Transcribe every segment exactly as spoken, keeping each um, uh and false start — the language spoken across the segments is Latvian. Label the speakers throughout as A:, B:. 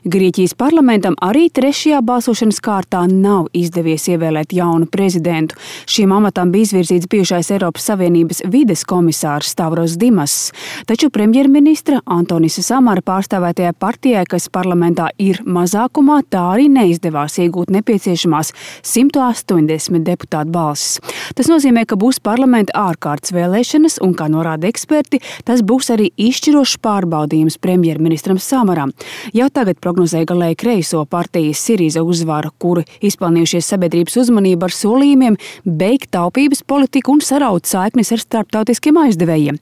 A: Grieķijas parlamentam arī trešajā balsošanas kārtā nav izdevies ievēlēt jaunu prezidentu. Šim amatam bija izvirzīts bijušais Eiropas Savienības vides komisārs Stavros Dimas. Taču premjerministra Antonisa Samara pārstāvētajai partijai, kas parlamentā ir mazākumā, tā arī neizdevās iegūt nepieciešamās simt astoņdesmit deputātu balsis. Tas nozīmē, ka būs parlamenta ārkārtas vēlēšanas un, kā norāda eksperti, tas būs arī izšķirošs pārbaudījums premjerministram Samaram. Jau tagad prognozēja galēji kreiso partijas Siriza uzvaru, kuri izpelnījušies sabiedrības uzmanību ar solījumiem beigt taupības politiku un saraut saiknes ar starptautiskiem aizdevējiem.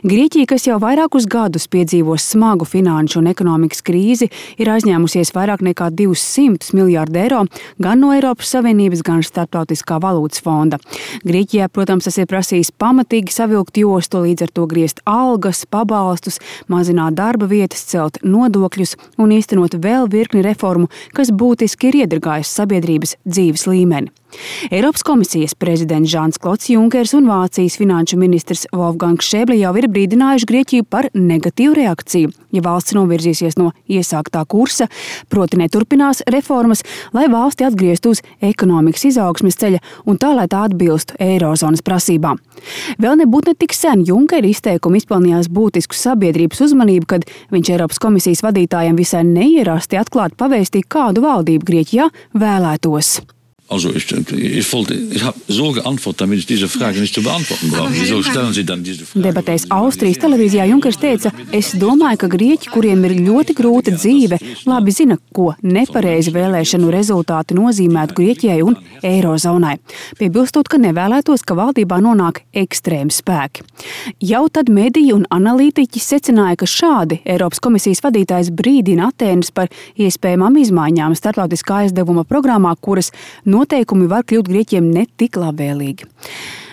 A: Grieķija, kas jau vairākus gadus piedzīvos smagu finanšu un ekonomikas krīzi, ir aizņēmusies vairāk nekā divsimt miljārdu eiro gan no Eiropas Savienības, gan Starptautiskā valūtas fonda. Grieķijā, protams, tas ir prasījis pamatīgi savilkt jostu, līdz ar to griezt algas, pabalstus, mazināt darba vietas, celt nodokļus un īstenot vēl virkni reformu, kas būtiski ir iedragājis sabiedrības dzīves līmeni. Eiropas komisijas prezidents Žans-Klods Junkers un Vācijas finanšu ministrs Wolfgangs Šēble jau ir brīdinājuši Grieķiju par negatīvu reakciju, ja valsts novirzīsies no iesāktā kursa, proti neturpinās reformas, lai valsti atgrieztu uz ekonomikas izaugsmes ceļa un tā, lai tā atbilstu eirozonas prasībām. Vēl nebūtu ne tik sen Junkera izteikumi izpelnījās būtisku sabiedrības uzmanību, kad viņš Eiropas komisijas vadītājiem visai neierasti atklāti pavēstīja, kādu valdību Grieķijā vēlētos.
B: Also ich, ich, wollte, ich habe so geantwortet, damit ich diese Frage nicht zu beantworten brauche. Wieso stellen Sie dann diese Frage?
A: Debatēs Austrijas televīzijā Junkers teica, es domāju, ka grieķi, kuriem ir ļoti grūta dzīve, labi zina, ko nepareizi vēlēšanu rezultāti nozīmētu Grieķijai un eirozonai. Piebilstot, ka nevēlētos, ka valdībā nonāk ekstrēmi spēki. Jau tad mediji un analītiķi secināja, ka šādi Eiropas komisijas vadītājs brīdina Atēnas par iespējamām izmaiņām starptautiskā aizdevuma programmā, kuras noteikumi var kļūt Grieķiem ne tik labvēlīgi.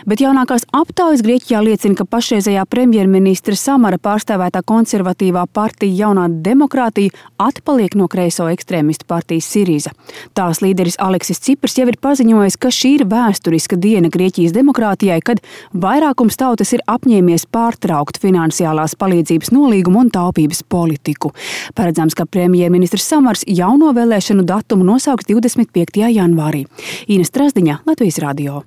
A: Bet jaunākās aptaujas Grieķijā liecina, ka pašreizējā premjerministra Samara pārstāvētā konservatīvā partija Jaunā demokrātija atpaliek no kreiso ekstrēmistu partijas Siriza. Tās līderis Aleksis Cipras jau ir paziņojis, ka šī ir vēsturiska diena Grieķijas demokrātijai, kad vairākums tautas ir apņēmies pārtraukt finansiālās palīdzības nolīgumu un taupības politiku. Paredzams, ka premjerministrs Samars jauno vēlēšanu datumu nosauks divdesmit piektajā janvārī. Ines Trasdiņa, Latvijas radio.